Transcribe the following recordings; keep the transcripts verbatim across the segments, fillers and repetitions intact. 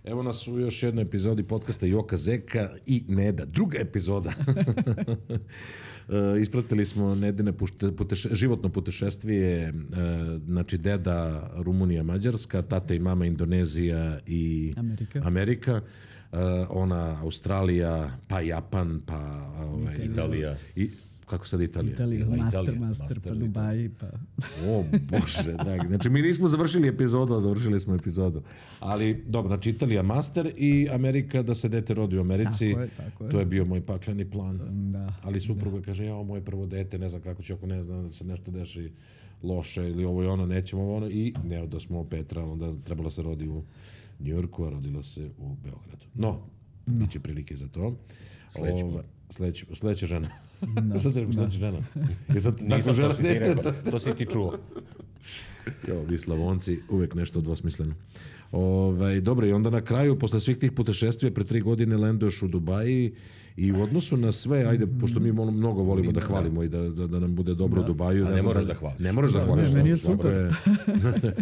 Evo nas u još jednoj epizodi podcasta Joka Zeka i Neda. Druga epizoda. Ispratili smo Nedine puteše, životno putešestvije, znači deda Rumunija, Mađarska, tate i mama Indonezija i Amerika. Amerika. Ona Australija, pa Japan, pa ovaj, Italija. I, kako sad Italija? Italija, master, Italija, master, master, pa Dubaji, pa... O, Bože, dragi. Znači, mi nismo završili epizodu, a završili smo epizodu. Ali, dobro, znači Italija master i Amerika da se dete rodi u Americi. Tako je, tako je. To je bio moj pakleni plan. Da. Ali supruga kaže, ja, moje prvo dete, ne znam kako će, ako ne znam da se nešto deši loše ili ovo i ono, nećemo ovo ono. I ne, da smo Petra, onda trebalo se rodi u Njujorku, a rodila se u Beogradu. No, bit će prilike za to. Sledeći Ova, sledeći, sledeća žena. Da. Šta se rekao sledeća žena? Je sad, Nisam, žena, to si ti rekao, to si ti čuo. Jo, vi Slavonci, uvek nešto dvosmisleno. Ovaj, dobro, i onda na kraju, posle svih tih putešestvija, pre tri godine lenduješ u Dubaji i u odnosu na sve, ajde, pošto mi mnogo volimo da hvalimo i da, da, da nam bude dobro u Dubaju. A ne moraš da hvališ. Ne moraš da hvališ. meni je svako super. je-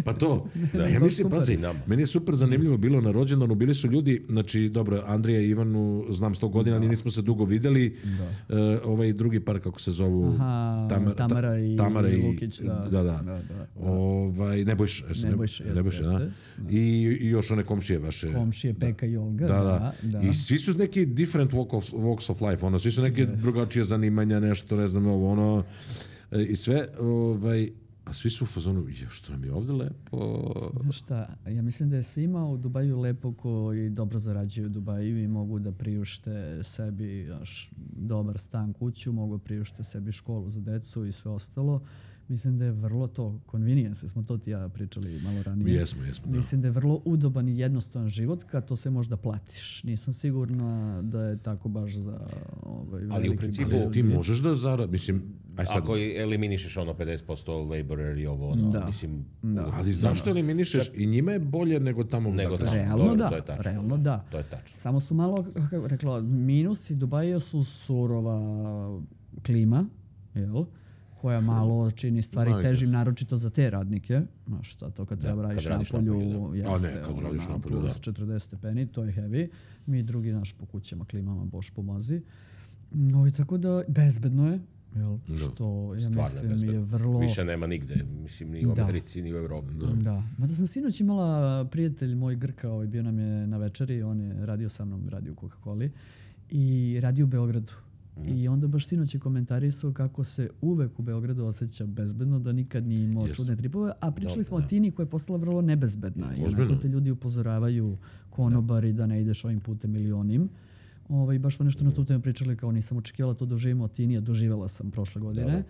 pa to. Da. Ja mislim, Super. pazi, meni je super zanimljivo bilo na rođendanu, bili su ljudi, znači, dobro, Andrija i Ivanu znam sto godina, ali nismo se dugo videli. E, ovaj drugi par, kako se zovu, Aha, Tamar- Tamara i Tamara i Lukić, da. da, da. Da, da, da. Ovaj, Nebojša, jesi, Nebojša, jeste, Nebojša, da. jeste. I, I još one komšije vaše. Komšije Peka i Olga, Da, da. da, da. I svi su neki different walk of, walks of life, ono, svi su neke drugačije zanimanja, nešto, ne znam, ovo, ono, e, i sve, ovaj, a svi su u fazonu, je, što nam je ovde lepo. Znaš šta, ja mislim da je svima u Dubaju lepo koji dobro zarađuju u Dubaju i mogu da priušte sebi znaš, dobar stan, kuću, mogu da priušte sebi školu za decu i sve ostalo. Mislim da je vrlo to convenience, smo to ti ja pričali malo ranije. Jesmo, jesmo, da. Mislim da je vrlo udoban i jednostavan život kad to sve možda platiš. Nisam sigurna da je tako baš za ovaj, Ali u veliki principu broj Ali ti ljudi. možeš da zarad, mislim, aj sad, Ako eliminišeš ono pedeset posto laborer i ovo, ono, Da. mislim, Da. ali zašto eliminišeš? I njima je bolje nego tamo. Nego dakle, tamo. Realno Dobro, da, to je tačno. realno da. to je tačno. Samo su malo, kako rekla, minusi Dubaja su surova klima, jel? Koja malo čini stvari Majke. težim, naročito za te radnike. Znaš, šta to kad treba kad radiš radiš napolju, napolju, jeste, A ne, kad ono, radiš na napolju, plus da. četrdeset stepeni, to je heavy. Mi drugi, naš, po kućama, klimama, boš pomozi. No, i tako da, bezbedno je, jel? Što, ja Stvarno je mislim, bezbedno. je vrlo... Više nema nigde, mislim, ni u Da. Americi, ni u Evropi. Da. Mada sam sinoć imala prijatelj moj Grka, ovaj, bio nam je na večeri, on je radio sa mnom, radio u Coca-Coli i radio u Beogradu. I onda baš sinoć je komentarisao kako se uvek u Beogradu osjeća bezbedno, da nikad nije imao Yes. čudne tripove, a pričali Dobro, smo o Tini koja je postala vrlo nebezbedna. I Ozbiljno. onako te ljudi upozoravaju konobari da ne ideš ovim putem ili onim. Ovaj, baš smo nešto na tu temu pričali, kao nisam očekivala to doživimo od Tini, a doživjela sam prošle godine.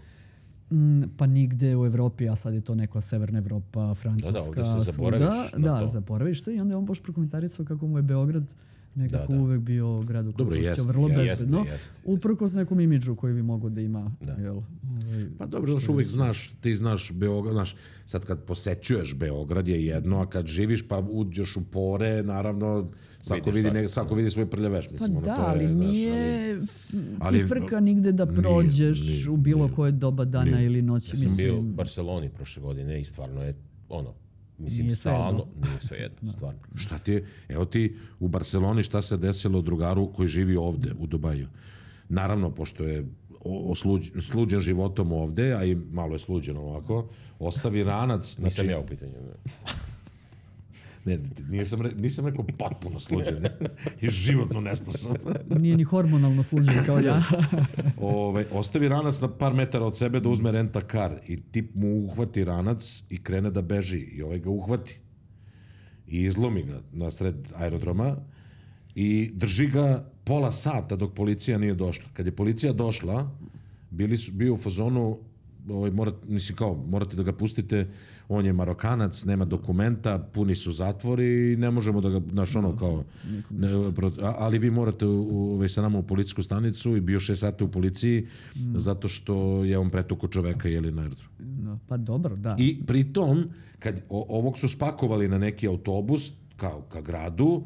Mm, pa nigde u Evropi, a sad je to neka severna Evropa, Francuska, ovdje se zaboraviš svuda. na Da, to. zaboraviš se i onda je on baš prokomentarisao kako mu je Beograd nekako Da, da. uvek bio grad u kojem Dobro, se osjeća jeste, vrlo jeste, bezbedno. jeste, jeste. Uprkos nekom imidžu koji bi mogao da ima. Da. Jel, ovaj, Pa dobro, znaš, uvijek znaš, ti znaš Beograd, znaš, sad kad posećuješ Beograd je jedno, a kad živiš pa uđeš u pore, naravno, svako Vidiš vidi, svašta. ne, svako vidi svoj prljaveš, Pa mislim, ono, da, to je, ali znaš, nije ali- ti frka nigde da Nije, prođeš nije, u bilo nije. koje doba dana Nije. ili noći. Ja sam bio u mislim, Barceloni prošle godine i stvarno je, ono, mislim, Nije stalno, nije sve jedno, stvarno. Šta ti je, evo ti u Barceloni šta se desilo drugaru koji živi ovde u Dubaju. Naravno, pošto je o- osluđ, sluđen životom ovde, a i malo je sluđen ovako, ostavi ranac, znači, Nisam ja u pitanju. ne. ne, nisam, re, nisam rekao potpuno sluđen, ne, i životno nesposoban. nije ni hormonalno sluđen kao ja. Ove, ostavi ranac na par metara od sebe da uzme renta kar i tip mu uhvati ranac i krene da beži i ovaj ga uhvati i izlomi ga na sred aerodroma i drži ga pola sata dok policija nije došla. Kad je policija došla, bili su, bio u fazonu, ovaj, morat, mislim kao, morate da ga pustite, on je Marokanac, nema dokumenta, puni su zatvori i ne možemo da ga, znaš, ono kao, ne, pro- a- ali vi morate u, u, ovaj, sa nama u policijsku stanicu i bio šest sati u policiji zato što je on pretukao čoveka jeli na aerodromu. No, pa dobro, da. I pritom, kad o, ovog su spakovali na neki autobus kao ka gradu,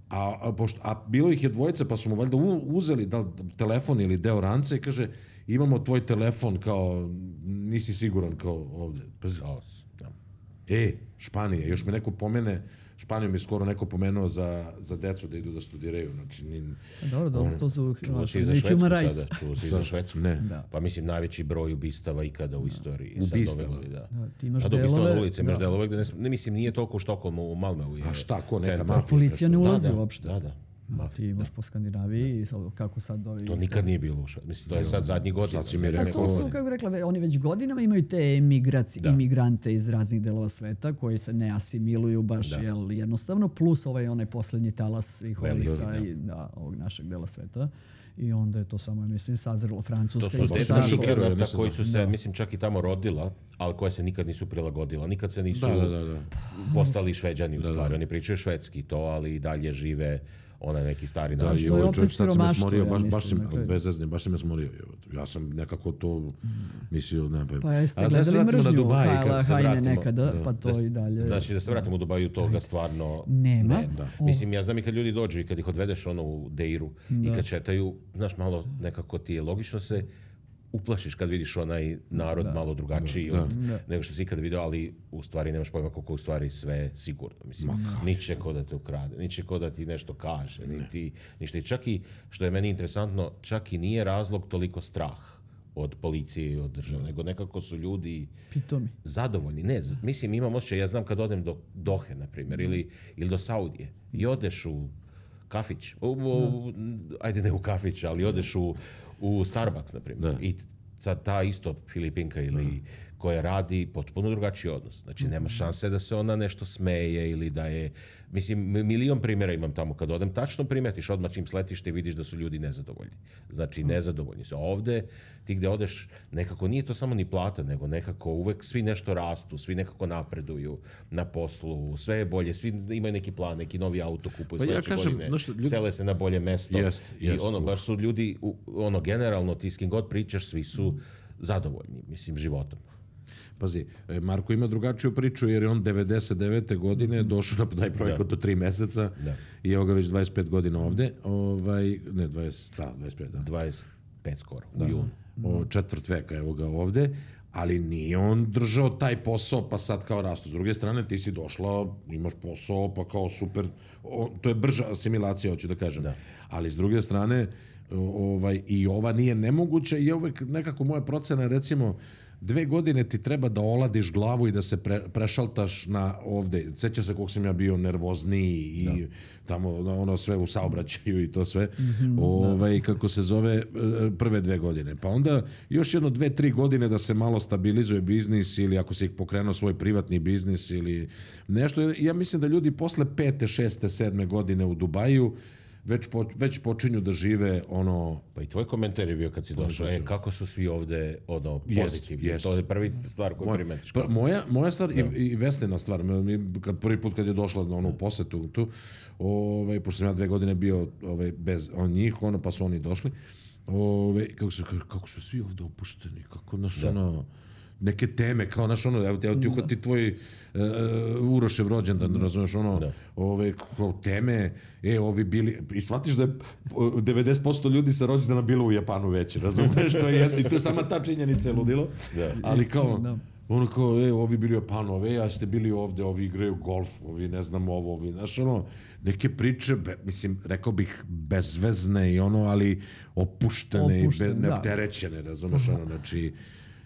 a, a, pošto, a bilo ih je dvojica, pa su mu valjda u- uzeli da, li telefon ili deo rance i kaže, imamo tvoj telefon, kao, nisi siguran kao ovde. Pazi, Haos, da. e, Španija, još me neko pomene Španiju mi skoro neko pomenuo za, za decu da idu da studiraju. Znači, ni, Dobro, dobro, to su Čuo si i za i Švedsku human rights. sada. Čuo si i za Švedsku. Ne. Da. Pa mislim, najveći broj ubistava ikada u istoriji. Ubistava? Sad ove, da. Da, ti imaš A do ubistava delove- na ulici, imaš da. delove gde ne, ne mislim, nije toliko u Štokholmu, u Malmeu je. A šta, ko, neka centar. mafija? Policija ne nešto? ulazi da, da, uopšte. Da, da. Da, Mafija, ti imaš po Skandinaviji i sad kako sad ovi... To nikad nije bilo u Švedsku. Mislim, to je sad zadnji godina. Sad si mi zadnji A rekao- to su, godina. kako bi rekla, ve- oni već godinama imaju te emigraci, Da. imigrante iz raznih delova sveta koji se ne asimiluju baš Da. jel, jednostavno, plus ovaj onaj posljednji talas ih Veliki, ovih sa da. i, da, ovog našeg dela sveta. I onda je to samo, ja mislim, sazrelo Francuska. To su isto deca me tako. šokiraju, migranata mislim, koji da. su se, mislim, čak i tamo rodila, ali koja se nikad nisu prilagodila. Nikad se nisu Da, da, da, da. postali Šveđani u Da, da. stvari. Oni pričaju švedski to, ali i dalje žive onaj neki stari Da, način. i to je ovaj opet čovjek sad se me siromaštvo, smorio, ja baš, baš, mislim, sam, na kraju. bez zezne, baš sam me smorio. Ja sam nekako to mislio, ne pa... Pa jeste A da se gledali vratimo na mržnju Dubai, Hajla kako se Hajne vratimo. nekada, Da. pa to i dalje. Znači da se vratimo u Dubaju, toga stvarno Nema. ne. Da. O. Mislim, ja znam i kad ljudi dođu i kad ih odvedeš ono u Deiru i kad šetaju, znaš, malo nekako ti je logično se uplašiš kad vidiš onaj narod malo drugačiji Da. od Da. nego što si ikad video, ali u stvari nemaš pojma koliko u stvari sve sigurno. Mislim, niće ko da te ukrade, niće ko da ti nešto kaže, niti ništa. I čak i, što je meni interesantno, čak i nije razlog toliko strah od policije i od države, nego nekako su ljudi Pitomi. zadovoljni. Ne, z- mislim, imam osjećaj, ja znam kad odem do Dohe, na primjer, ili, ili do Saudije i odeš u kafić, u, u- ajde ne u kafić, ali odeš u, u Starbucks, na primjer, Da. i sad ta isto Filipinka ili koja radi potpuno drugačiji odnos. Znači, nema šanse da se ona nešto smeje ili da je... Mislim, m- milion primjera imam tamo kad odem. Tačno primetiš odmah čim sletiš i vidiš da su ljudi nezadovoljni. Znači, nezadovoljni su. A ovde, ti gde odeš, nekako nije to samo ni plata, nego nekako uvek svi nešto rastu, svi nekako napreduju na poslu, sve je bolje, svi imaju neki plan, neki novi auto kupuju Pa ja sledeće kažem, godine, znaš, ljudi- sele se na bolje mesto. Jest, I jest. ono, baš su ljudi, u- ono, generalno, ti s kim god pričaš, svi su zadovoljni, mislim, životom. Pazi, e, Marko ima drugačiju priču jer je on devedeset devete godine došao na taj projekat do tri meseca Da. i evo ga već dvadeset pet godina ovde. Ovaj, ne, dvadeset, da, dvadeset pet, da. dvadeset pet skoro, u junu. O, četvrt veka, evo ga ovde, ali nije on držao taj posao pa sad kao rastu. S druge strane, ti si došla, imaš posao, pa kao super, o, to je brža asimilacija, hoću da kažem. Da. Ali s druge strane, o, ovaj, i ova nije nemoguća i uvek nekako moja procena, recimo, dve godine ti treba da oladiš glavu i da se pre, prešaltaš na ovde. Sjeća se koliko sam ja bio nervozniji i tamo ono sve u saobraćaju i to sve. ovaj, kako se zove, e, prve dve godine. Pa onda još jedno dve, tri godine da se malo stabilizuje biznis ili ako si pokrenuo svoj privatni biznis ili nešto. Ja mislim da ljudi posle pete, šeste, sedme godine u Dubaju već, po, već počinju da žive ono... Pa i tvoj komentar je bio kad si došao, e, počeo. kako su svi ovde, ono, Jest, pozitivni. jest. To je prvi stvar koju Moja, primetiš. pa, moja, moja stvar i, i Vesnina stvar, mi, kad, prvi put kad je došla na onu posetu tu, ovaj, pošto sam ja dve godine bio ovaj, bez on njih, ono, pa su oni došli, ovaj, kako, su, kako su svi ovde opušteni, kako, naš, ono, neke teme, kao, naš, ono, evo, evo ti uhvati tvoj uh, Urošev rođendan, razumeš, ono, Da. ove, kao teme, e, ovi bili, i shvatiš da je o, devedeset posto ljudi sa rođendana bilo u Japanu već, razumeš, to je, jedno, i to je sama ta činjenica je ludilo, Da. ali kao, Da. ono kao, e, ovi bili u Japanu, ove, a ste bili ovde, ovi igraju golf, ovi ne znam ovo, ovi, znaš, ono, neke priče, be, mislim, rekao bih, bezvezne i ono, ali opuštene, i Opuštene, be, da. neopterećene, razumeš, ono, znači,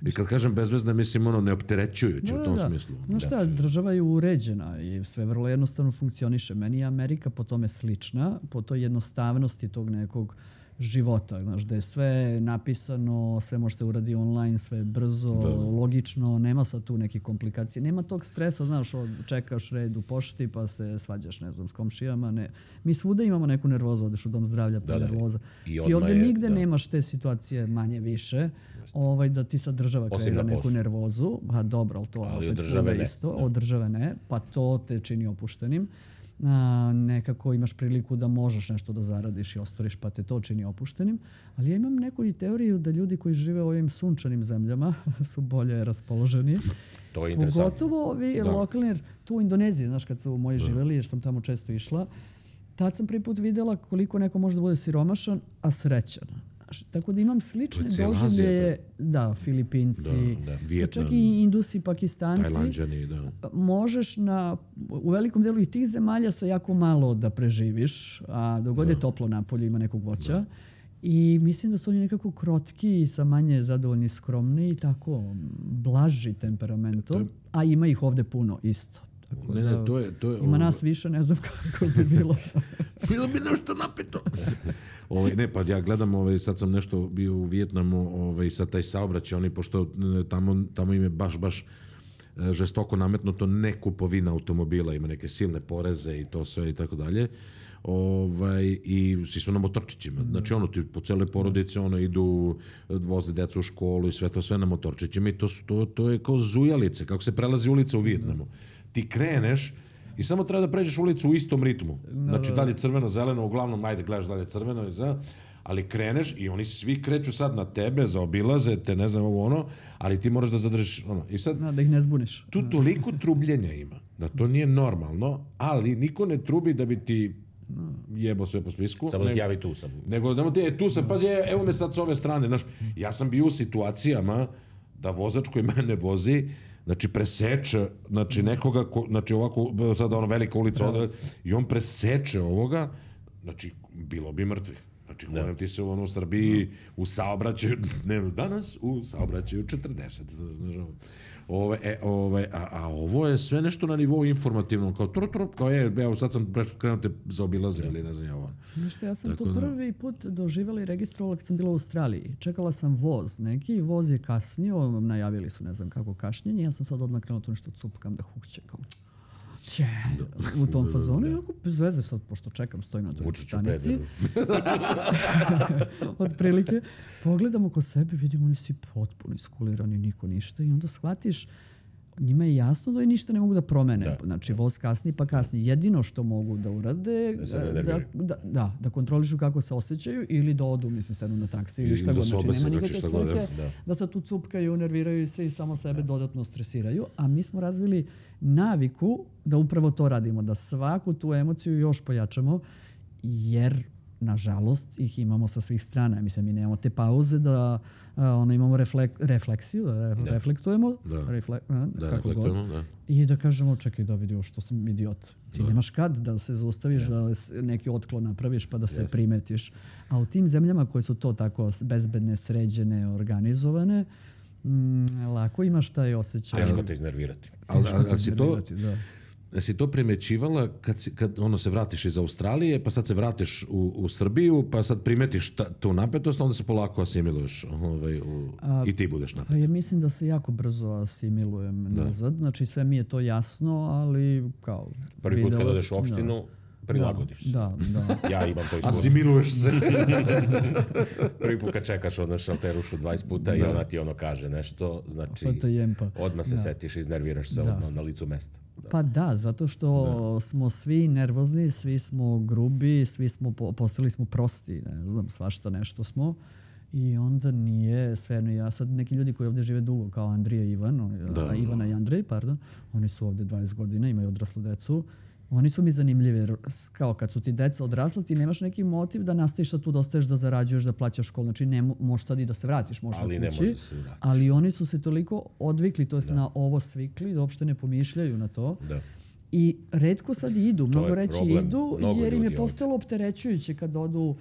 i kad kažem bezvezne, mislim, ono, neopterećujuće u tom smislu. Znaš šta, država je uređena i sve vrlo jednostavno funkcioniše. Meni je Amerika po tome slična, po toj jednostavnosti tog nekog života, znaš, da je sve napisano, sve može se uradi online, sve je brzo, logično, nema sad tu neke komplikacije, nema tog stresa, znaš, od, čekaš red u pošti pa se svađaš, ne znam, s komšijama, ne. Mi svuda imamo neku nervozu, odeš u dom zdravlja pa Da, da. nervoza. I Ti odmah ovdje je- nigde da. nemaš te situacije manje više, ovaj, da ti sad država Osim kreira na neku poslu. nervozu, a dobro, ali to Ali opet od države svuda ne, isto, da. od države ne, pa to te čini opuštenim. A, nekako imaš priliku da možeš nešto da zaradiš i ostvariš, pa te to čini opuštenim. Ali ja imam neku i teoriju da ljudi koji žive u ovim sunčanim zemljama su bolje raspoloženi. To je interesantno. Pogotovo ovi lokalni, jer tu u Indoneziji, znaš, kad su moji živeli, jer sam tamo često išla, tad sam prvi put vidjela koliko neko može da bude siromašan, a srećan. Š- Tako da imam slične To je cijela Azija, doživlje, da, Filipinci, Da, da. pa Vijetnam, čak i Indusi, Pakistanci. Tajlanđani, da. Možeš na, u velikom delu i tih zemalja sa jako malo da preživiš, a dok god je toplo napolje ima nekog voća. I mislim da su oni nekako krotki, sa manje zadovoljni, skromni i tako blaži temperamentom, a ima ih ovde puno isto. Tako Ne, da ne, to je... To je ima ovo- nas više, ne znam kako bi bilo. Bilo bi nešto napito. ovaj, ne, pa ja gledam, ovaj, sad sam nešto bio u Vijetnamu, ovaj, sad taj saobraćaj, oni, pošto e, tamo, tamo im je baš, baš e, žestoko nametnuto ne kupovina automobila, ima neke silne poreze i to sve i tako dalje. Ovaj, i svi su na motorčićima. Znači, ono, ti po cele porodice, ono, idu, voze decu u školu i sve to, sve na motorčićima i to, su- to, to je kao zujalice, kako se prelazi ulica u Vijetnamu. Ti kreneš i samo treba da pređeš ulicu u istom ritmu. Znači, dalje crveno, zeleno, uglavnom, ajde, gledaš dalje crveno, za- ali kreneš i oni svi kreću sad na tebe, zaobilaze te, ne znam ovo ono, ali ti moraš da zadržiš ono. I sad, Da, da ih ne zbuniš. tu toliko trubljenja ima, da to nije normalno, ali niko ne trubi da bi ti jebo sve po spisku. Samo da ti nego- javi tu sam. nego da mu ti, e, tu sam, pazi, e, evo me sad s ove strane, znaš, ja sam bio u situacijama da vozač koji mene vozi, znači preseče, znači nekoga, ko, znači ovako, sada ono velika ulica ovde, i on preseče ovoga, znači bilo bi mrtvih. Znači, govorim ti se ono, u Srbiji u saobraćaju, ne danas, u saobraćaju četrdeset. Znaš, ovo. Ove, e, ove, a, a ovo je sve nešto na nivou informativnom, kao tru, tru, kao je, evo sad sam krenuo te zaobilazio ili ne znam ja ovo. Znaš što, ja sam Tako to da- prvi put doživjela i registrovala kad sam bila u Australiji. Čekala sam voz neki, voz je kasnio, najavili su ne znam kako kašnjenje, ja sam sad odmah krenula to nešto cupkam da hukćekam. Će, u tom fazonu, i onako bez veze sad, pošto čekam, stojim na drugoj Vučiću stanici. pederu. Otprilike, pogledam oko sebe, vidim oni svi potpuno iskulirani, niko ništa i onda shvatiš, njima je jasno da oni ništa ne mogu da promene. Da. Znači, voz kasni pa kasni. Jedino što mogu da urade, Da se ne da, nerviraju. da, da, da kontrolišu kako se osjećaju ili da odu, mislim, sednu na taksi ili Ili šta da god. se Znači, obese, nema znači, nikakve šta god, svrhe da. da se tu cupkaju, nerviraju se i samo sebe dodatno stresiraju. A mi smo razvili naviku da upravo to radimo, da svaku tu emociju još pojačamo, jer nažalost ih imamo sa svih strana. Mislim, mi nemamo te pauze da a, ono, imamo reflek, refleksiju, da, re- reflektujemo, Da. refle- a, Da, kako god. reflektujemo, da. I da kažemo, čekaj da vidio što sam idiot. Ti nemaš kad da se zaustaviš, da s- neki otklon napraviš pa da se primetiš. A u tim zemljama koje su to tako s- bezbedne, sređene, organizovane, mm, lako imaš taj osjećaj. Teško te iznervirati. Ali, Teško ali, te ali si to, iznervirati, da. jesi to primećivala kad, si, kad ono se vratiš iz Australije, pa sad se vratiš u, u Srbiju, pa sad primetiš ta, tu napetost, onda se polako asimiluješ ovaj, u, i ti budeš napet. Pa ja mislim da se jako brzo asimilujem nazad. Znači sve mi je to jasno, ali kao... Prvi put kad videla- odeš u opštinu, prilagodiš se. Da, da. Ja imam to iskustvo. Asimiluješ se. Prvi put kad čekaš od na šalterušu dvadeset puta i ona ti ono kaže nešto, znači Sad te jempa. odmah se setiš, iznerviraš se Da. odmah na licu mesta. Da. Pa da, zato što smo svi nervozni, svi smo grubi, svi smo po- postali smo prosti, ne znam, svašta nešto smo. I onda nije svejedno. Ja sad neki ljudi koji ovdje žive dugo, kao Andrija i Ivan, oni- Da. a Ivana i Andrej, pardon, oni su ovdje dvadeset godina, imaju odraslu decu. Oni su mi zanimljivi, jer s- kao kad su ti deca odrasla, ti nemaš neki motiv da nastaviš sad tu da ostaješ, da zarađuješ, da plaćaš školu. Znači ne, mo- možeš sad i da se vratiš možda Ali ne kući. možeš da se vratiš. Ali oni su se toliko odvikli, to jest na ovo svikli, da uopšte ne pomišljaju na to. Da. I retko sad idu, mnogo je reći problem. idu, Mnogo jer im je ljudi ovdje. postalo opterećujuće kad odu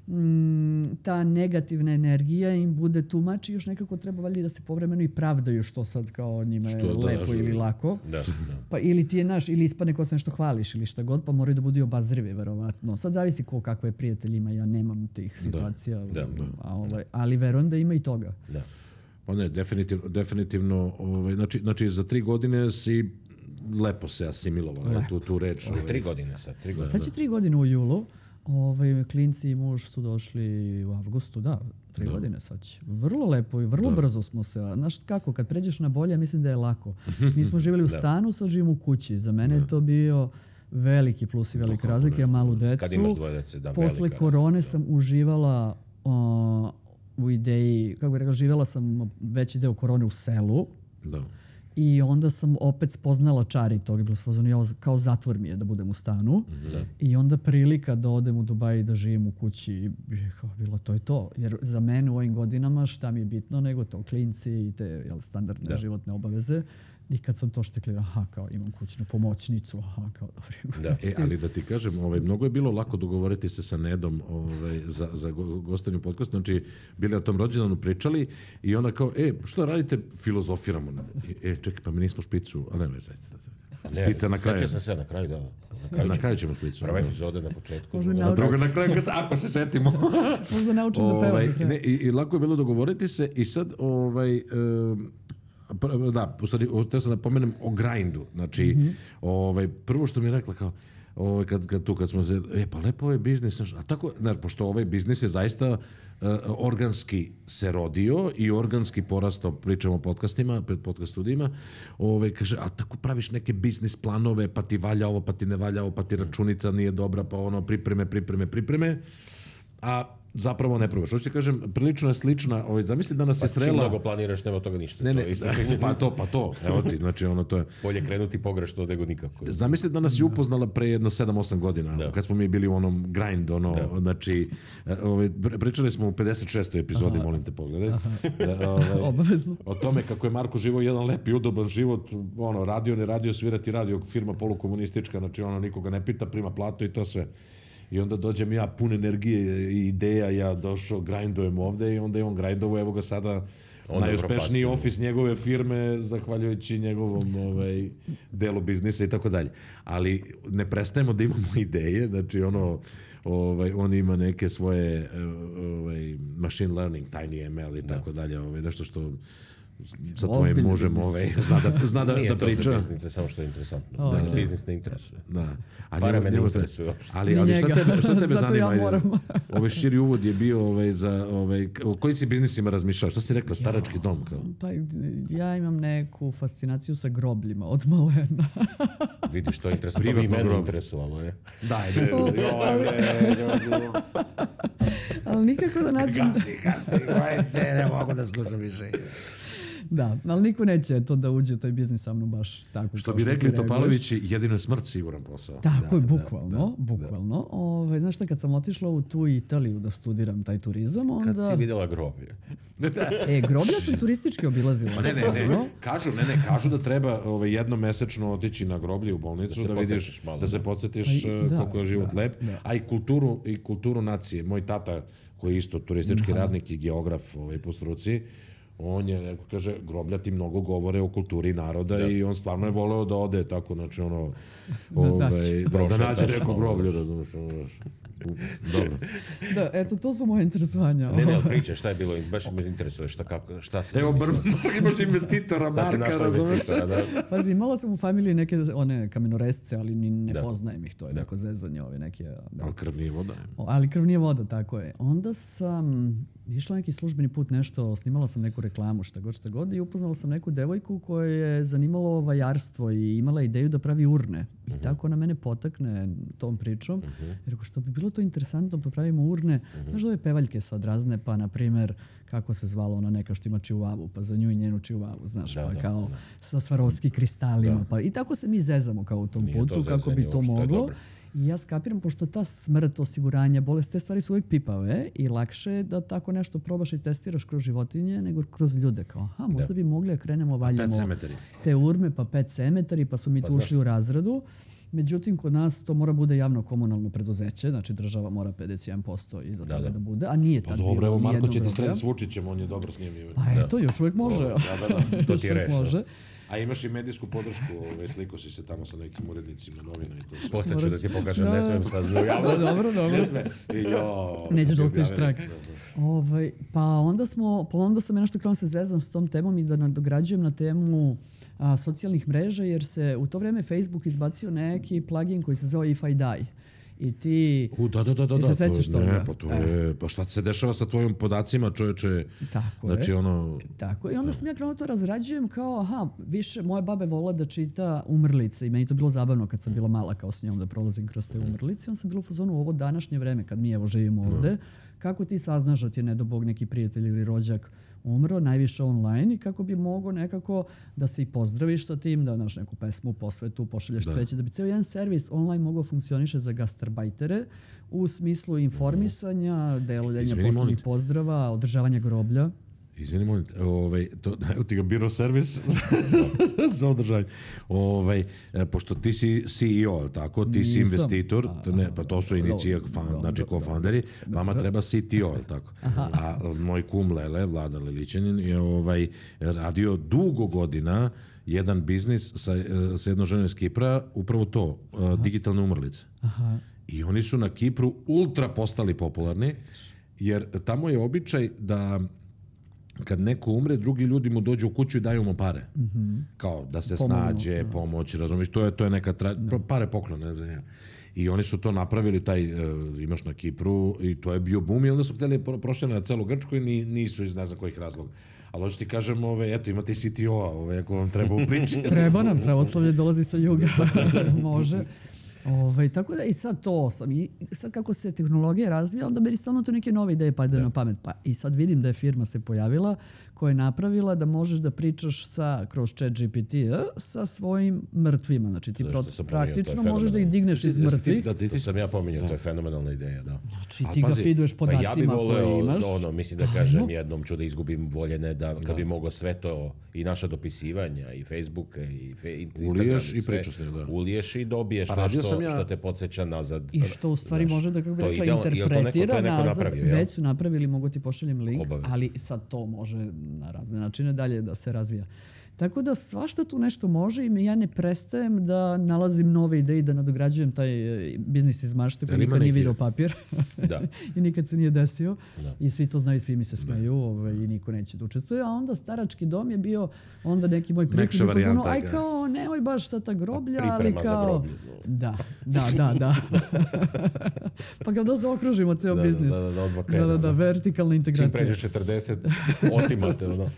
mm, ta negativna energija im bude tumač i još nekako treba valjda da se povremeno i pravdaju što sad kao njima je Što da, lepo što- ili lako. Da, da. Pa ili ti je naš, ili ispadne ko se nešto hvališ ili šta god, pa moraju da budu i obazrivi, verovatno. Sad zavisi ko kakve prijatelji ima, ja nemam tih situacija, da, da. a ovaj, ali verujem da ima i toga. Da. Pa ne, definitivno, definitivno ovaj, znači, znači za tri godine si lepo se asimilovala, tu, tu reč. Ali ovaj. tri godine sad, tri godine. Sad će tri godine u julu. Ovaj, klinci i muž su došli u avgustu, da, tri godine sad će. Vrlo lepo i vrlo brzo smo se. a Znaš kako, kad pređeš na bolje, mislim da je lako. Mi smo živjeli u stanu, sad živimo u kući. Za mene je to bio veliki plus i velika razlika. Ja malu decu. Kad imaš dvoje dece, da, Posle velika korone razlika. sam uživala o, u ideji, kako bih rekla, živjela sam veći deo korone u selu. Da. I onda sam opet spoznala čari toga. Bilo sam ja, kao zatvor mi je da budem u stanu. Da. I onda prilika da odem u Dubaj i da živim u kući. I kao, bilo to je to. Jer za mene u ovim godinama šta mi je bitno nego to klinci i te jel, standardne Da. životne obaveze. I kad sam to štekli, aha, kao imam kućnu pomoćnicu, aha, kao dobro. Da. E, ali da ti kažem, ovaj, mnogo je bilo lako dogovoriti se sa Nedom ovaj, za, za go- gostanje u podcastu. Znači, bili o tom rođendanu pričali i onda kao, e, što radite? Filozofiramo. E, čekaj, pa mi nismo špicu, ali ne, zajte. Ne, Špica na kraju. Sjetio sam se na kraju, da. Na kraju, Na ćemo- kraju ćemo špicu. Prva epizode na početku. Možda druga- na- A druga na kraju, kad, ako se setimo. Možda naučim da pevam. Ovaj, do kraja. ne, i, I lako je bilo dogovoriti se i sad, ovaj, em, pr- da, u stvari, htio sam da pomenem o grindu. Znači, ovaj, prvo što mi je rekla kao, ovaj, kad, kad tu, kad smo se, e, pa lepo ovaj biznis, znaš, a tako, ne, pošto ovaj biznis je zaista uh, organski se rodio i organski porastao, pričamo o podcastima, pred podcast studijima, ovaj, kaže, a tako praviš neke biznis planove, pa ti valja ovo, pa ti ne valja ovo, pa ti računica nije dobra, pa ono, pripreme, pripreme, pripreme, a zapravo ne probaš. Hoću ti kažem, prilično je slična, ovaj, zamisli da nas Pa je čim srela... mnogo planiraš, nema od toga ništa. Ne, To ne, je isto činjenica. pa to, pa to, evo ti, znači ono to je... Bolje krenuti pogrešno nego nikako. Zamisli da nas je upoznala pre jedno sedam osam godina, Da. kad smo mi bili u onom grind, ono, Da. znači, e, ovaj, pr- pričali smo u pedeset šestoj epizodi, molim te pogledaj, e, ovaj, Obavezno. o tome kako je Marko živao jedan lep i udoban život, ono, radio, ne radio, svirati radio, firma polukomunistička, znači ono, nikoga ne pita, prima platu i to sve. I onda dođem ja pun energije i ideja, ja došao, grindujem ovde i onda je on grindovo, evo ga sada Onda najuspešniji propastio. ofis njegove firme, zahvaljujući njegovom ovaj, delu biznisa i tako dalje. Ali ne prestajemo da imamo ideje, znači ono, ovaj, on ima neke svoje eh, ovaj, machine learning, tiny M L i tako dalje, ovaj, nešto što sa tvojim Ozbiljni mužem biznis. ovaj, zna da, zna da, Nije da to priča. za biznis, ne samo što je interesantno. O, Da, da. biznis ne interesuje. Da. A Pare njemu- me ne njemu- interesuju uopšte. Ali, Ni ali šta njega. tebe, šta tebe Zato ja zanima? moram. Ovaj širi uvod je bio ovaj, za... Ovaj, o kojim si biznisima razmišljao? Što si rekla? Starački dom? Kao? Pa ja imam neku fascinaciju sa grobljima od malena. Vidiš, to je interesantno. To bi i Privatno mene grob. interesovalo, je. Daj, bre, joj, bre, Ali nikako da nađem... gasi, gasi, ne, ne mogu da slušam više. Da, ali niko neće to da uđe u taj biznis sa mnom baš tako. Što kao bi ti rekli reaguješ. Topalovići, jedino je smrt siguran posao. Tako je, Da, bukvalno, bukvalno. Ove, znaš šta, kad sam otišla u tu Italiju da studiram taj turizam, Kad onda... si vidjela groblje. E, groblja sam turistički obilazila. Pa ne, ne, ne, kažu, ne, ne, kažu da treba ovaj, jednomesečno otići na groblje u bolnicu, Da da, se vidiš, podsjetiš malo, da se da. podsjetiš Pa i- eh, da, koliko je život da, lep, da. a i kulturu, i kulturu nacije. Moj tata, koji je isto turistički radnik i geograf ovaj, po struci, on je, neko kaže, groblja ti mnogo govore o kulturi naroda i on stvarno je voleo da ode tako, znači ono, ovaj, da, da Prošetaš nađe neko malo. groblje, razumiješ, ono, znaš. Dobro. Da, eto, to su moje interesovanja. Ne, ne, ali priča, šta je bilo, baš me interesuje šta, kako, šta se... Evo, bar, imaš investitora, Sad si Marka, našla razumiješ. investitora, da. Pazi, imala sam u familiji neke one kamenoresce, ali ni ne Da. poznajem ih, to je neko zezanje, ove neke... Da. Ali krv nije voda. O, ali krv nije voda, tako je. Onda sam išla neki službeni put nešto, snimala sam neku reklamu, šta god, šta god, i upoznala sam neku devojku koja je zanimalo vajarstvo i imala ideju da pravi urne. I tako ona mene potakne tom pričom. Jer rekao, što bi bilo to interesantno, pa pravimo urne. Znaš da ove pevaljke sad razne, pa na primjer, kako se zvala ona neka što ima čihuavu, pa za nju i njenu čihuavu, znaš, Da, pa da, kao da. sa Swarovski kristalima. Pa, i tako se mi zezamo kao u tom Nije to putu, kako zezanje bi to uopšte, to je moglo. dobro. I ja skapiram, pošto ta smrt, osiguranja, bolest, te stvari su uvijek pipave i lakše je da tako nešto probaš i testiraš kroz životinje nego kroz ljude. Kao, aha, možda bi mogli da krenemo, valjamo Pet cemetari. te urme, pa pet cemetari, pa su mi Pa tu znaš- ušli u razradu. Međutim, kod nas to mora bude javno komunalno preduzeće, znači država mora pedeset jedan posto iza Da, toga da. da bude, a nije Pa tad dobro, bilo evo ni Marko jednog će ti groblja. srediti s Vučićem, on je dobro s njim. Pa eto, još uvijek može. Da, da, da. To Još ti je uvijek rešeno. može. A imaš i medijsku podršku, ovaj, sliko si se tamo sa nekim urednicima, novina i to sve. Posle ću da ti pokažem, Da. ne smijem sad u Da, javnost. dobro, dobro. Ne sme. I jo, Nećeš da ostaviš objavili. trag. Ovaj, pa onda smo, pa onda sam ja nešto krenuo se zezam s tom temom i da nadograđujem na temu a, socijalnih mreža, jer se u to vreme Facebook izbacio neki plugin koji se zove If I Die. I ti... U, da, da, da, da. Jel da se sećaš to, toga? ne, pa to je, pa šta se dešava sa tvojim podacima, čoveče? Tako Znači, je. ono, Tako, i onda sam ja krenuo to razrađujem kao, aha, više, moja baba je volila da čita umrlice i meni to bilo zabavno kad sam bila mala kao s njom da prolazim kroz te umrlice. Onda sam bila u fazonu u ovo današnje vreme kad mi evo živimo ovde, kako ti saznaš da ti je nedobog neki prijatelj ili rođak umro, najviše online i kako bi mogao nekako da se i pozdraviš sa tim, da naš neku pesmu, posvetu, pošalješ cveće, da bi cijel jedan servis online mogao funkcioniše za gastarbajtere u smislu informisanja, deljenja poslovnih pozdrava, održavanja groblja. Izvini, molim te, ovaj, to, evo ti ga biro servis za održanje. Ovaj, pošto ti si C E O, tako? Ti si investitor, ne, pa to su inicija, znači co-founderi, vama treba C T O, tako? A moj kum Lele, Vlada Lilićanin, je ovaj, radio dugo godina jedan biznis sa, sa jednom ženom iz Kipra, upravo to, Aha. digitalne umrlice. Aha. I oni su na Kipru ultra postali popularni, jer tamo je običaj da kad neko umre, drugi ljudi mu dođu u kuću i daju mu pare. Mm-hmm. Kao da se Pomogno, snađe, da. pomoć, razumiješ, to je, to je neka tra... da. pare poklone, ne znam ja. I oni su to napravili, taj, uh, imaš na Kipru, i to je bio boom, i onda su htjeli prošljene na celu Grčku i ni, nisu iz ne znam kojih razloga. Ali hoću ti kažem, ove, eto, imate i C T O-a, ove, ako vam treba u priči. Treba nam, pravoslavlje dolazi sa juga, može. Ovaj, tako da i sad to sam. I sad kako se tehnologija razvija, onda meni stalno to neke nove ideje padaju na pamet. Pa i sad vidim da je firma se pojavila koja je napravila da možeš da pričaš sa, kroz chat G P T sa svojim mrtvima. Znači ti pro, praktično možeš da ih digneš iz mrtvih. Da, to sam ja pominjao, to je fenomenalna ideja. Da. Znači ti ga feeduješ podacima koje imaš. Pa ja bih voleo, ono, mislim da kažem jednom ću da izgubim voljene, da kad bi mogao sve to i naša dopisivanja i Facebooka i fe, Instagram. Uliješ i pričaš ne, da. Uliješ i dobiješ nešto ja... što te podsjeća nazad. I što u stvari znaš, može da, kako bi rekla, ideal, interpretira neko, nazad. Napravio, ja? Već su napravili, mogu ti pošaljem link, Obavezno. Ali sad to može na razne načine dalje da se razvija. Tako da svašta tu nešto može i ja ne prestajem da nalazim nove ideje i da nadograđujem taj biznis iz mašte koji nikad nije video papir da. I nikad se nije desio. Da. I svi to znaju, svi mi se smeju ovaj, i niko neće da učestvuje. A onda starački dom je bio onda neki moj prijatelj. Aj kao, nemoj baš sa ta groblja, ali kao... Da, da, da, da. Pa ga da zaokružimo ceo da, biznis. Da, da, da, odmah krenu. Da, da, da, vertikalna integracija. Čim pređeš četrdeset, otimate ono.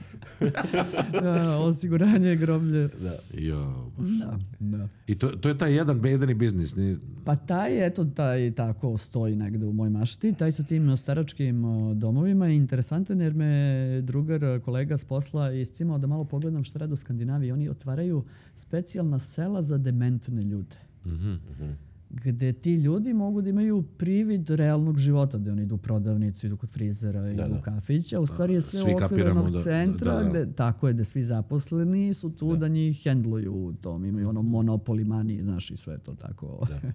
Da, osiguranje groblje. Da. Jo, da, da. I to, to je taj jedan bedani biznis. Ni... Pa taj, eto, taj tako stoji negde u moj mašti. Taj sa tim staračkim domovima je interesantan jer me drugar, kolega s posla iscimao da malo pogledam šta rade u Skandinaviji. Oni otvaraju specijalna sela za dementne ljude. Mhm, mhm. Gde ti ljudi mogu da imaju privid realnog života, da oni idu u prodavnicu, idu kod frizera, idu u kafić, a u stvari je sve u okviru onog centra, da, da, da. Gde, tako je, da svi zaposleni su tu da, da njih hendluju u tom, imaju ono monopoly money, znaš, i sve to tako. Da.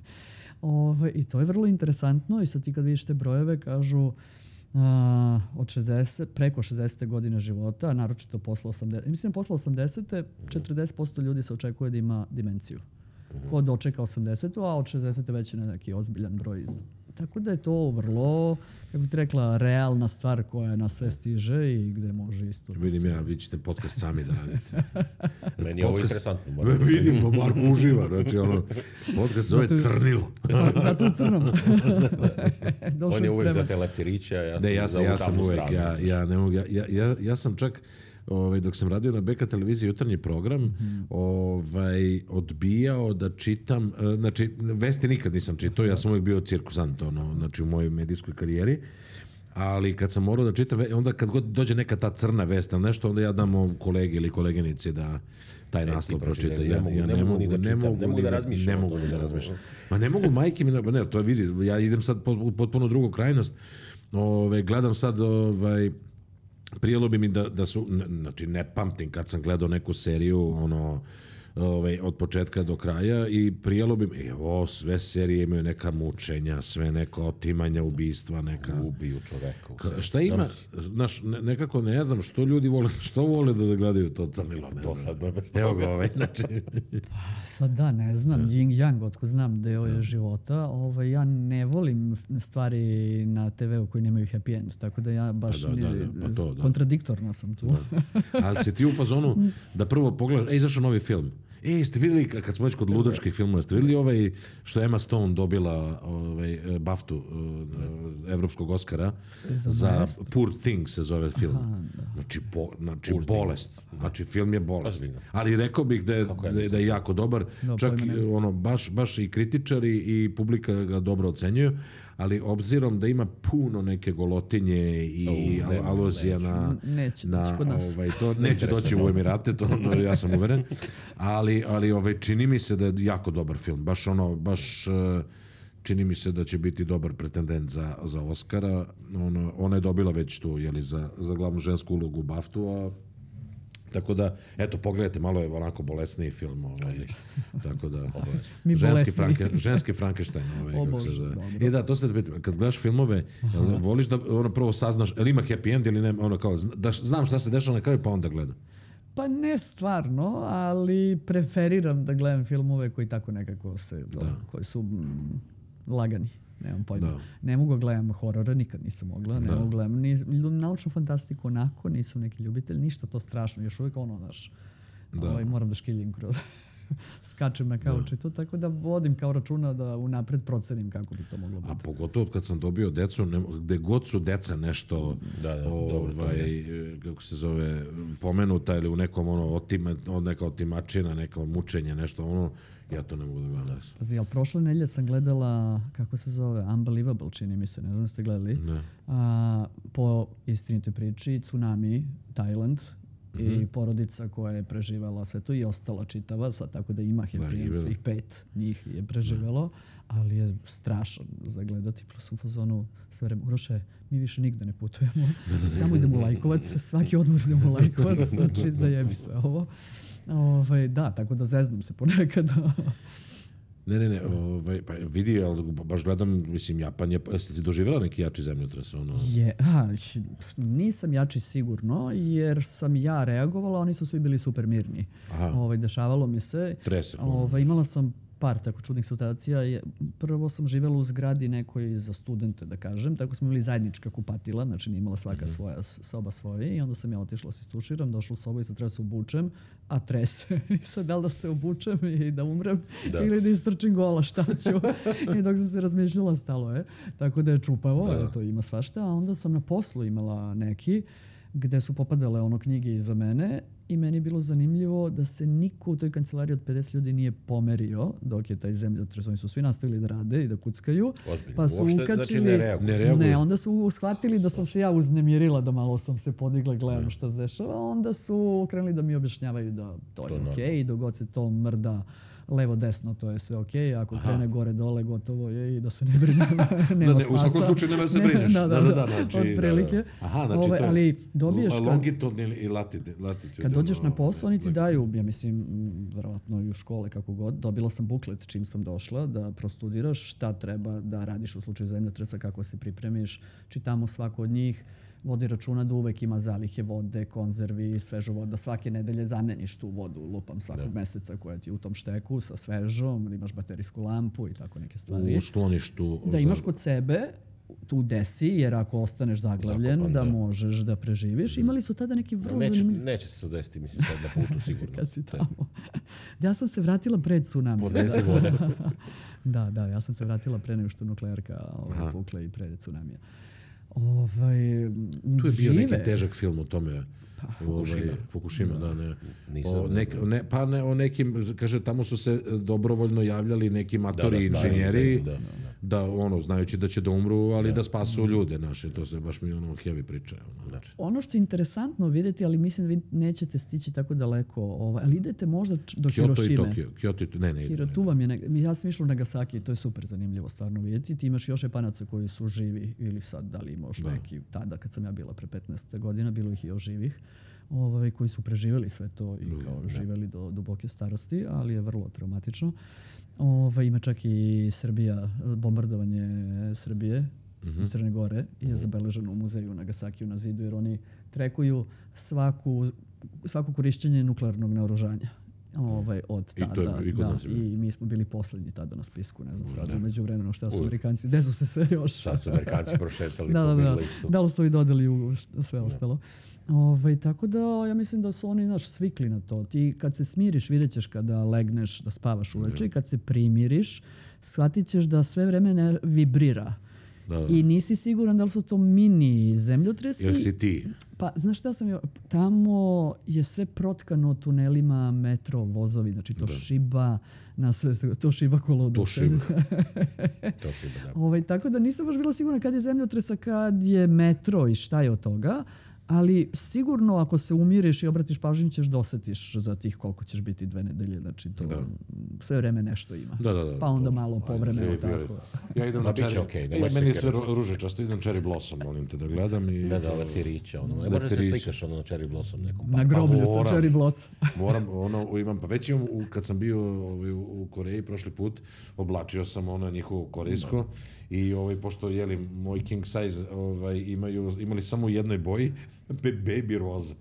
Ove, I to je vrlo interesantno i sad ti kad vidiš te brojeve, kažu a, od šezdeset, preko šezdeset godine života, naročito posle osamdeset, mislim posle osamdesete četrdeset posto ljudi se očekuje da ima demenciju. Ko dočeka osamdesetu, a od šezdesete već je neki ozbiljan broj. Tako da je to vrlo, kako bih rekla, realna stvar koja na sve stiže i gde može isto... Vidim ja, vi ćete podcast sami da radite. Meni je ovo interesantno. Vidim, bo Marko uživa. Znači, ono, podcast zove Crnilo. Zato u crnom. On je uvek za te leptiriće, a ja sam ne, ja, za ja sam uvek, stranu. ja, ja ne mogu, ja, ja, ja sam čak... Ovaj, dok sam radio na B K televiziji jutarnji program, mm-hmm. ovaj, odbijao da čitam, znači vesti nikad nisam čitao, ja sam uvijek bio cirkusant ono, znači u mojoj medijskoj karijeri, ali kad sam morao da čitam, onda kad god dođe neka ta crna vest ili nešto, onda ja dam kolegi ili koleginici da taj naslov pročita. Ja, ja ne mogu da ne mogu, ne mogu da razmišljam. Ne mogu da razmišljam. Ma ne mogu majke mi, ne, to je vidi, ja idem sad u potpuno drugu krajnost, ove, gledam sad, ovaj, prijelo bi mi da, da su, znači ne pamtim kad sam gledao neku seriju ono, ovaj, od početka do kraja i prijelo bi mi, evo, sve serije imaju neka mučenja, sve neka otimanja, ubistva, neka... Ubiju čoveka. Ka, šta ima, znaš, ne, nekako ne znam što ljudi vole, što vole da gledaju to crnilo, ne Dosadno bez toga. Evo ga ovaj, znači... Pa sad da, ne znam, yin yang, otko znam deo je života, ovaj, ja ne volim stvari na te veu koji nemaju happy end, tako da ja baš da, da, ne, da, pa to, da. kontradiktorno sam tu. Da. Ali si ti u fazonu da prvo pogledaš, ej, izašao novi film, E, jeste vidjeli, kad smo već kod ludačkih filmova, jeste vidjeli ovaj, što je Emma Stone dobila ovaj, Baftu, evropskog Oscara, Za za Maestro. Poor Things se zove film. Aha, da. Znači, po, znači Poor bolest. Znači, film je bolest. Ozbiljno. Ali rekao bih da je, Kako je da je, da je jako dobar. Da, Čak pojma i, nemam. ono, baš, baš i kritičari i publika ga dobro ocenjuju. Ali obzirom da ima puno neke golotinje i U, nema, aluzija na, Neće na doći kod nas. ovaj, to neće doći u Emirate, to ono, ja sam uveren. Ali, ali ovaj, čini mi se da je jako dobar film. Baš ono, baš eh, čini mi se da će biti dobar pretendent za, za Oscara. Ono, ona je dobila već tu, jeli, za, za glavnu žensku ulogu Baftu, a tako da, eto, pogledajte, malo je onako bolesniji film. Ovaj, tako da, Mi ženski, bolesniji. Franke, ženski Frankenstein. Ovaj, O kako se Bože, zove. dobro. E da, to ste da pitam, kad gledaš filmove, jel voliš da ono prvo saznaš, jel ima happy end ili ne, ono kao, da znam šta se dešava na kraju, pa onda gledam. Pa ne stvarno, ali preferiram da gledam filmove koji tako nekako se, koji su mm, lagani. Nemam pojma. Da. Ne mogu gledam horora, nikad nisam mogla. Ne Da. mogu gledam ni naučnu fantastiku onako, nisam neki ljubitelj, ništa to strašno. Još uvijek ono, znaš, Da. ovaj, moram da škiljim kroz skačem na kauč i to, tako da vodim kao računa da unapred procenim kako bi to moglo biti. A pogotovo kad sam dobio decu, ne, gde god su deca nešto Da, da, dobro, to ovaj, jeste. kako se zove, pomenuta ili u nekom ono, otima, neka otimačina, neko mučenje, nešto ono, ja to ne mogu da gledam. Pazi, ali prošle nedelje sam gledala, kako se zove, Unbelievable, čini mi se, ne znam da ste gledali, Ne. a, po istinitoj priči, tsunami, Tajland, i porodica koja je preživela sve to i ostala čitava, sad tako da ima happy end, ima. svih pet njih je preživelo, ali je strašan za gledati, plus u fazonu sve vreme, Uroše, mi više nigde ne putujemo, samo idemo u Lajkovac, svaki odmor idemo u Lajkovac, znači zajebi sve ovo. Ovaj, da, tako da zeznam se ponekad. Ne, ne, ne, ovaj, pa vidi, ali baš gledam, mislim, Japan je, jeste ti doživjela neki jači zemljotres? Ono? Je, a, nisam jači sigurno, jer sam ja reagovala, oni su svi bili super mirni. Aha. Ovaj, dešavalo mi se. Trese. Ovaj, imala sam par tako čudnih situacija. Je- Prvo sam živjela u zgradi nekoj za studente, da kažem. Tako smo imali zajednička kupatila, znači nije imala svaka svoja s- soba svoje. I onda sam ja otišla se istuširam, došla u sobu i sad treba se obučem, a trese. I sad da li da se obučem i da umrem Da. ili da istrčim gola, šta ću. I dok sam se razmišljala, stalo je. Tako da je čupavo, Da. to ima svašta. A onda sam na poslu imala neki gde su popadale ono knjige iza mene i meni je bilo zanimljivo da se niko u toj kancelariji od pedeset ljudi nije pomerio dok je taj zemljotres. Oni su svi nastavili da rade i da kuckaju. Ozbiljno. Pa su Uopšte, ukačili... znači, ne reaguju. Ne reaguju. Ne, onda su shvatili da sam se ja uznemirila, da malo sam se podigla, gledam šta se dešava. Onda su krenuli da mi objašnjavaju da to je To je okej, normalno. i dok god se to mrda levo desno, to je sve okej. Ako krene gore dole, gotovo je i da se ne brinem. Nema Da, ne, u svakom spasa. slučaju nema da se Ne, brineš. Da, da, da, znači, otprilike. da, da. Aha, znači Ovaj, to je ali dobiješ kad- longitudni i latitude. latitude, Kad dođeš ono, na posao, oni ti ovaj, daju, ja mislim, m, verovatno i u škole kako god, dobila sam buklet čim sam došla da prostudiraš šta treba da radiš u slučaju zemljotresa, kako se pripremiš. Čitamo svako od njih, vodi računa da uvek ima zalihe vode, konzervi, svežu vodu, da svake nedelje zameniš tu vodu, lupam svakog meseca koja ti je u tom šteku sa svežom, da imaš baterijsku lampu i tako neke stvari. u skloništu. Da za- imaš kod sebe tu desi, jer ako ostaneš zaglavljen, Zakopan, da da. možeš da preživiš. Imali su tada neki vrlo Neće, zanimljivi... neće se to desiti, mislim, sad na putu sigurno. Kad si tamo. Ja sam se vratila pred tsunami. Podnesi vodu. Da, da, ja sam se vratila pre nego što nuklearka ovaj, pukla i pre tsunamija. Ovaj, Tu je bio neki žive. težak film o tome. Ovaj, Fukushima, da, ne. Nisam, O, ne nek, znam. ne, pa ne, o nekim, kaže, tamo su se dobrovoljno javljali neki matori da, inženjeri, da, da, da, ono, znajući da će da umru, ali da, spasu ljude naše. To se baš mi ono heavy priča. Ono, znači. Ono što je interesantno vidjeti, ali mislim da vi nećete stići tako daleko, ovaj, ali idete možda č- do Kyoto i Hirošime. Tokio. Kyoto i to, ne, ne, ide, Hiro, ne. tu vam je, neg- ja sam išla u Nagasaki, to je super zanimljivo stvarno vidjeti. Ti imaš još Japanaca koji su živi, ili sad da li imaš neki, tada kad sam ja bila pre petnaest godina, bilo ih i još živih, ovaj, koji su preživjeli sve to i kao živjeli do duboke starosti, ali je vrlo traumatično. Ovaj, ima čak i Srbija, bombardovanje Srbije, Crne Gore je zabeleženo u muzeju u Nagasakiju na zidu, jer oni trekuju svaku, svako korišćenje nuklearnog naoružanja. Ovaj, od I to je tada, i kod da, nas je bilo. i mi smo bili poslednji tada na spisku, ne znam sad, Da. u međuvremenu šta su Uvijek. Amerikanci, gde su se sve još... Sad su Amerikanci prošetali da, po da, Big da, listu. da li su i dodali u št- sve ostalo. Ovaj, tako da ja mislim da su oni naš svikli na to. Ti kad se smiriš, vidjet ćeš kada legneš da spavaš uveče i kad se primiriš, shvatit ćeš da sve vreme ne vibrira. Da, da. I nisi siguran da li su to mini zemljotresi. Jer si ti. Pa, znaš šta sam jo... Tamo je sve protkano tunelima, metro, vozovi, znači to šiba na sve, to šiba kolo. To šiba. To šiba, da. Ovaj, tako da nisam baš bila sigurna kad je zemljotresa, kad je metro i šta je od toga. Ali sigurno ako se umiriš i obratiš pažnju ćeš da osetiš za tih koliko ćeš biti dve nedelje. Znači to Da. sve vreme nešto ima. Da, da, da. Pa onda malo povremeno Živi bili. tako. Ja idem Ma na bit će Cherry. okej, E, nemoj se meni je sve kerati. ru- ružičasto, idem Cherry Blossom, molim te da gledam. I Da, da, leptirića, ono. Ne možeš da se Leptirić. slikaš ono na Cherry Blossom nekom. Na groblju sa moram. Cherry Blossom. Moram, ono, imam, pa već imam, u, kad sam bio ovaj, u, u Koreji prošli put, oblačio sam ono njihovo korejsko i ovaj, pošto jeli, moj king size ovaj, imaju, imali samo u jednoj boji, baby roza.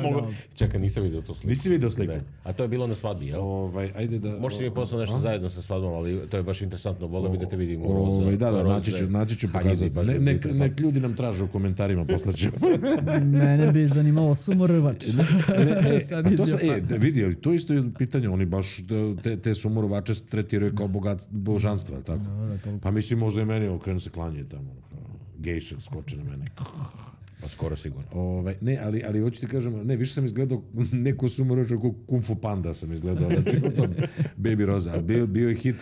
Mogu... Čekaj, nisam vidio to sliku. Nisi vidio sliku? Ne. A to je bilo na svadbi, jel? Ovaj, ajde da... Možete mi poslati nešto zajedno sa svadbom, ali to je baš interesantno. Volio bi da te vidim u Ovaj, roze. da, da, roze naći ću, naći ću haljini, pokazati. baš Ne, bi bilo nek, interesantno. nek ljudi nam traže u komentarima, poslaću. Mene bi zanimalo sumorvač. Sad A to sa, idio e, da vidi, ali to isto je pitanje, oni baš da, te, te sumorovače tretiraju kao bogat, božanstva, jel tako? Pa mislim, možda i meni okrenu se klanje tamo, kao gejše skoče na mene. Pa skoro sigurno. Ovaj, ne, ali, ali hoću ti kažem, ne, više sam izgledao neku sumorovaču, kao Kung Fu Panda sam izgledao, znači u tom Baby Rosa, ali bio, bio je hit,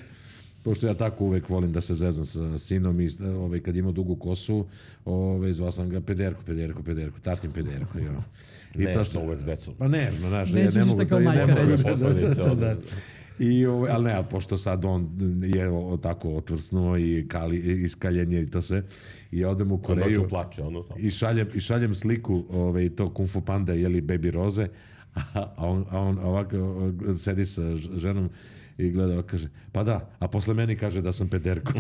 pošto ja tako uvek volim da se zezam sa sinom i ovaj, kad ima dugu kosu, ovaj, zvao sam ga Pederko, Pederko, Pederko, tatin Pederko. Jo. I Nežno sam- uvek s decom. Pa nežno, znaš, Nećeš ja ne ništa mogu kao to i ne majka mogu. reći. Da, da, Posledice, da, ono. da. I, ovaj, ali ne, ali pošto sad on je o- tako otvrsnuo i kali, iskaljenje i to sve, i ja odem u Koreju Noću plače, ono samo. i šaljem, i šaljem sliku ovaj, to Kung Fu Panda, jeli Baby Roze, a on, a on ovako o, sedi sa ž- ženom i gleda, ovako kaže, pa da, a posle meni kaže da sam pederko.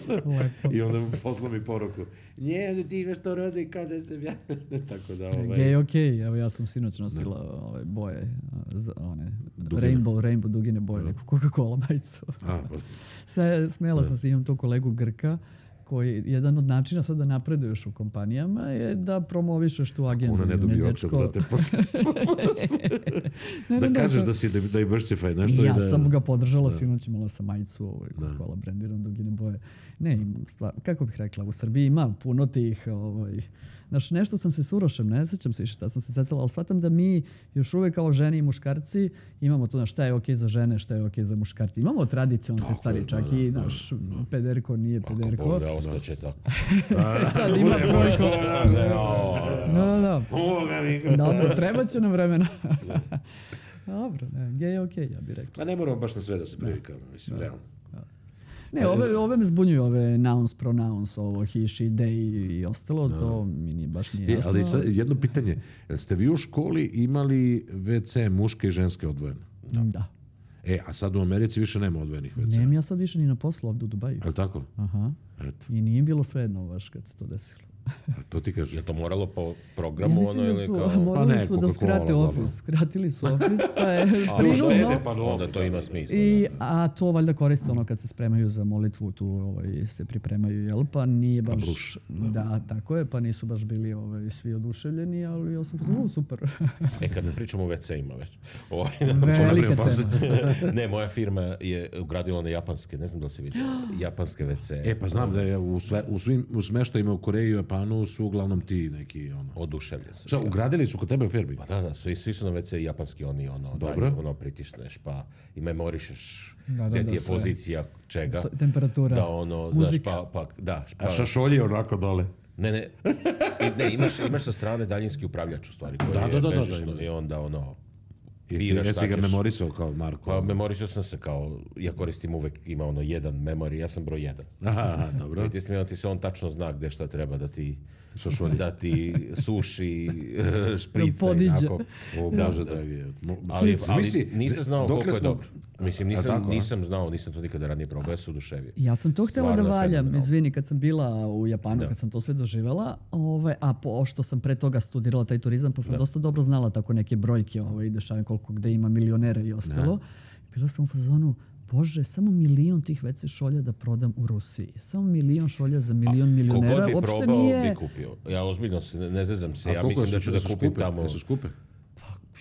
Lepo. I onda mu posla mi poruku, nje, ti imaš to roze kao da sam ja. Tako da, ovaj... Gej, okej. Evo ja sam sinoć nosila ove boje, a, za- one rainbow, rainbow dugine boje, neku Coca-Cola majicu. A, pa, Sve, smela sam se, imam tu kolegu Grka, koji jedan od načina sad da napreduješ u kompanijama je da promovišeš tu agendu. ona ne dobije otkaz, dečko- brate, posle. Ne, ne, Da ne, kažeš to- da si diversify, nešto I ja i da... sam ga podržala, sinoć imala sam majicu ovaj, Coca-Cola brendiran dugine boje. Ne, im stvar, kako bih rekla, u Srbiji ima puno tih, ovaj, znaš, nešto sam se s Urošem, ne sećam se više šta sam se secala, ali shvatam da mi još uvek kao žene i muškarci imamo to, znaš, šta je okej za žene, šta je okej za muškarci. Imamo tradicionalne te stvari, je, čak da, i, da, znaš, pederko nije Ako pederko. Bog da, ostaće tako. Sad ima trojko. Da, da. Ovoga mi Dobro, treba će nam vremena. Dobro, ne, gej je okej, ja bih rekla. Pa ne moramo baš na sve da se privikamo, mislim, realno. Ne, ove, ove me zbunjuju, ove nouns, pronouns, ovo he, she, they i ostalo, to mi nije, baš nije E, jasno. ali sad, jedno pitanje, jel ste vi u školi imali ve ce muške i ženske odvojene? Da. E, a sad u Americi više nema odvojenih ve ce. Nemam ja sad više ni na poslu ovdje u Dubaju. Je li tako? Aha. Eto, I nije bilo svejedno baš kad se to desilo. a to ti Je kažeš. li to moralo po Ja programu mislim ono da ili su, kao... morali Pa ne, su da Coca-Cola, skrate dobro. office. Skratili su office, pa je A, prinudno. uštede, pa dobro. Onda to ima smisla. I, a to valjda koriste ono kad se spremaju za molitvu, tu ovaj, se pripremaju, jel? Pa nije baš... bruš, da. tako je, pa nisu baš bili ovaj, svi oduševljeni, ali ja sam pozvao, super. E, kad ne pričamo o ve ce-ima već. Ovaj, Velika pauzu. tema. ne, moja firma je ugradila one japanske, ne znam da li se vidio, japanske ve ce. E, pa znam da je u, sve, u svim u smeštajima u Koreji i Japanu su uglavnom ti neki, ono... Oduševljen sam. Šta, ugradili su kod tebe u firmi? Pa da, da, svi, svi su na ve ce japanski, oni ono, Dobro. daj, ono pritišneš pa i memorišeš Da, da, gde da, ti je sve. pozicija čega. To- temperatura, Da, ono, znaš, muzika. pa, pa, da, A pa, šašolji je onako dole. ne, ne, I, ne, imaš, imaš sa strane daljinski upravljač u stvari, koji Da, je da, da, da, bežično da. i onda ono, Jesi, biraš jesi šta ga ćeš. memorisao kao Marko? Pa memorisao sam se kao, ja koristim uvek, ima ono jedan memori, ja sam broj jedan. Aha, aha, dobro. I ti si ti se on tačno zna gde šta treba da ti Šašolje. da ti suši eh, šprice i podiđe. tako. O Bože dragi. Mo- Ali, ali Zamisli, nisam znao dokle koliko je smo- dobro. Mislim, A nisam, tako, a? nisam znao, nisam to nikada ranije probao, ja se oduševio. Ja sam to htjela da Stvarno je valjam, fenomenalno. izvini, kad sam bila u Japanu, Da. kad sam to sve doživjela, ovaj, a pošto sam pre toga studirala taj turizam, pa sam Da. dosta dobro znala tako neke brojke ovaj, dešavanja koliko gde ima milionera i ostalo. Bila sam u fazonu, Bože, samo milion tih ve ce šolja da prodam u Rusiji. Samo milion šolja za milion milionera. Kogod bi Uopšte probao, nije... bi kupio. Ja ozbiljno se, ne, ne zezam se, A ja koliko mislim da su- ću da su kupim skupe? tamo... Jesu skupe?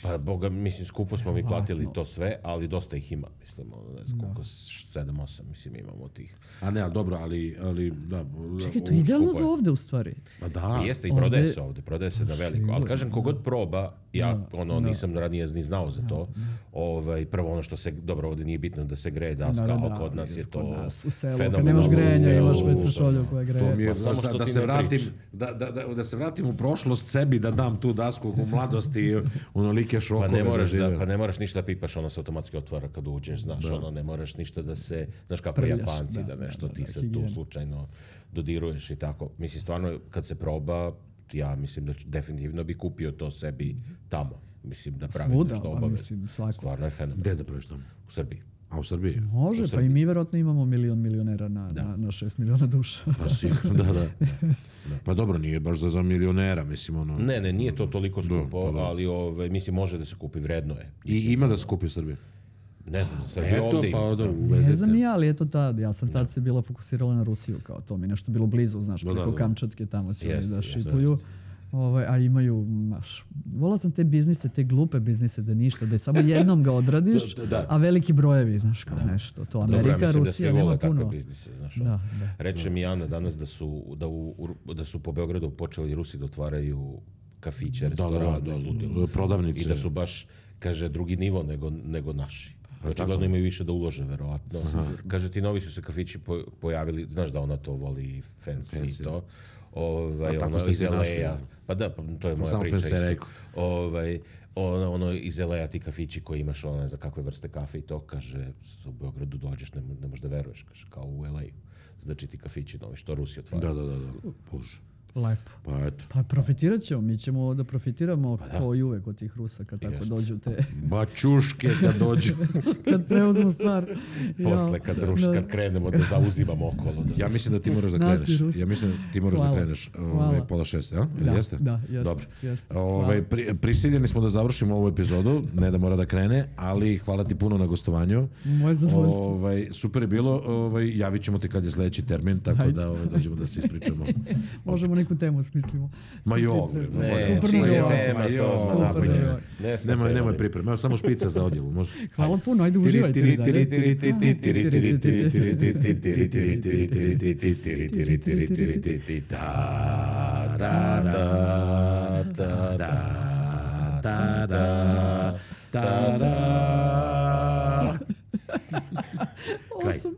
Pa, boga, mislim, skupo smo mi platili Verovatno. to sve, ali dosta ih ima, mislim, ono, ne znam koliko, sedam, osam, mislim, imamo tih. A ne, ali dobro, ali... ali da, Čekaj, to u- je idealno skupo je. za ovde u stvari. Pa da. I jeste, i prodaje ovde- se ovde, prodaje se na veliko. Ali sigurno, kažem, kogod proba, ja Da, ono, da. nisam ranije ni znao za to. Ovaj, prvo ono što se, dobro, ovde nije bitno da se greje daska, Da, da, ali da, kod nas je kod to nas, u selu, kad fenomenalno. nemaš grejanja, U imaš selu, ve ce šolju koja greje. To mi je, Ma samo da, što da ti se ne vratim, priča. da, da, da, da se vratim u prošlost sebi, da dam tu dasku u mladosti, onolike šokove. Pa ne moraš da, doživeo. pa ne moraš ništa da pipaš, ono se automatski otvara kad uđeš, znaš, ono ne moraš ništa da se, znaš kako Prljaš, Japanci, da, da, nešto da, ti da, se higijena. tu slučajno dodiruješ i tako. Mislim, stvarno, kad se proba, ja mislim da ću, definitivno bi kupio to sebi tamo. Mislim, da pravim Svuda, nešto pa obavezno. mislim, svako. Stvarno je fenomen. Gde da praviš tamo? U Srbiji. A u Srbiji? Može, u pa i Srbiji. mi vjerojatno imamo milion milionera na, na, na šest miliona duša. Pa sigurno, da, da. Pa dobro, nije baš za, za milionera, mislim, ono... Ne, ne, nije to toliko skupo, pa da. ali ove, mislim, može da se kupi, vredno je. I ima da se kupi u Srbiji. Ne znam, za Srbiju Eto, ovde pa ima. da, Ne uvezete. znam ni ja, ali eto tad, ja sam tad se bila fokusirala na Rusiju, kao to mi je nešto bilo blizu, znaš, Da, preko da, da. Kamčatke tamo će oni Jeste, da jeste, šipuju. Ovaj, a imaju, maš, volao sam te biznise, te glupe biznise, da ništa, da je samo jednom ga odradiš, Da, da. a veliki brojevi, znaš, kao nešto. To Dobro, ja Amerika, mislim da Rusija, svi nema vole takve puno. biznise, znaš. Da, da. Reče mi Ana danas da su, da, u, u- da su po Beogradu počeli Rusi da otvaraju kafiće, Da, da, da, restorane, da, ludilo. prodavnice. I da su baš, kaže, drugi nivo nego, nego naši. Znači, tako? očigledno imaju više da ulože, verovatno. Kaže, ti novi su se kafići po- pojavili, znaš da ona to voli fancy, Fancy. i to. Ovaj, A tako ono ste iz se našli, el a. ono. Pa da, pa to je moja Samo priča fancy isto. rekao. Ovaj, ono, ono iz el a ti kafići koji imaš, ono ne znam kakve vrste kafe i to, kaže, u Beogradu dođeš, ne, mo- ne možeš da veruješ, kaže, kao u el a. Znači ti kafići novi, što Rusi otvaraju. Da, da, da, da. Bože. Lepo. Pa eto. Pa profitirat ćemo, mi ćemo da profitiramo da. kao i uvek od tih Rusa kad tako Jest. dođu te, Bačuške kad dođu. kad preuzmu stvar. Posle, Ja, kad, da. ruš, kad krenemo da zauzimamo okolo. Da. Ja mislim da ti moraš da Nas i kreneš. Rusi. Ja mislim da ti moraš Hvala. da kreneš ovaj, Hvala. pola šest, ja? Ili Da, jeste? da, jeste, Dobro. jeste. Ovaj, pri, prisiljeni smo da završimo ovu epizodu, ne da mora da krene, ali hvala ti puno na gostovanju. Moje zadovoljstvo. Ovaj, super je bilo, ovaj, javit ćemo ti kad je sledeći termin, tako Hajde. da ovaj, dođemo da se ispričamo. Možemo neku temu smislimo. Ma Super, jo, pre- Ne, super čija nam je je ovo. tema, Ma jo, to super napolje. nam je ovo. Ne smo Nemoj, nemoj krenuli. pripreme, evo samo špica za odjevu, može? Hvala puno, ajde uživajte i dalje. Kraj. Awesome.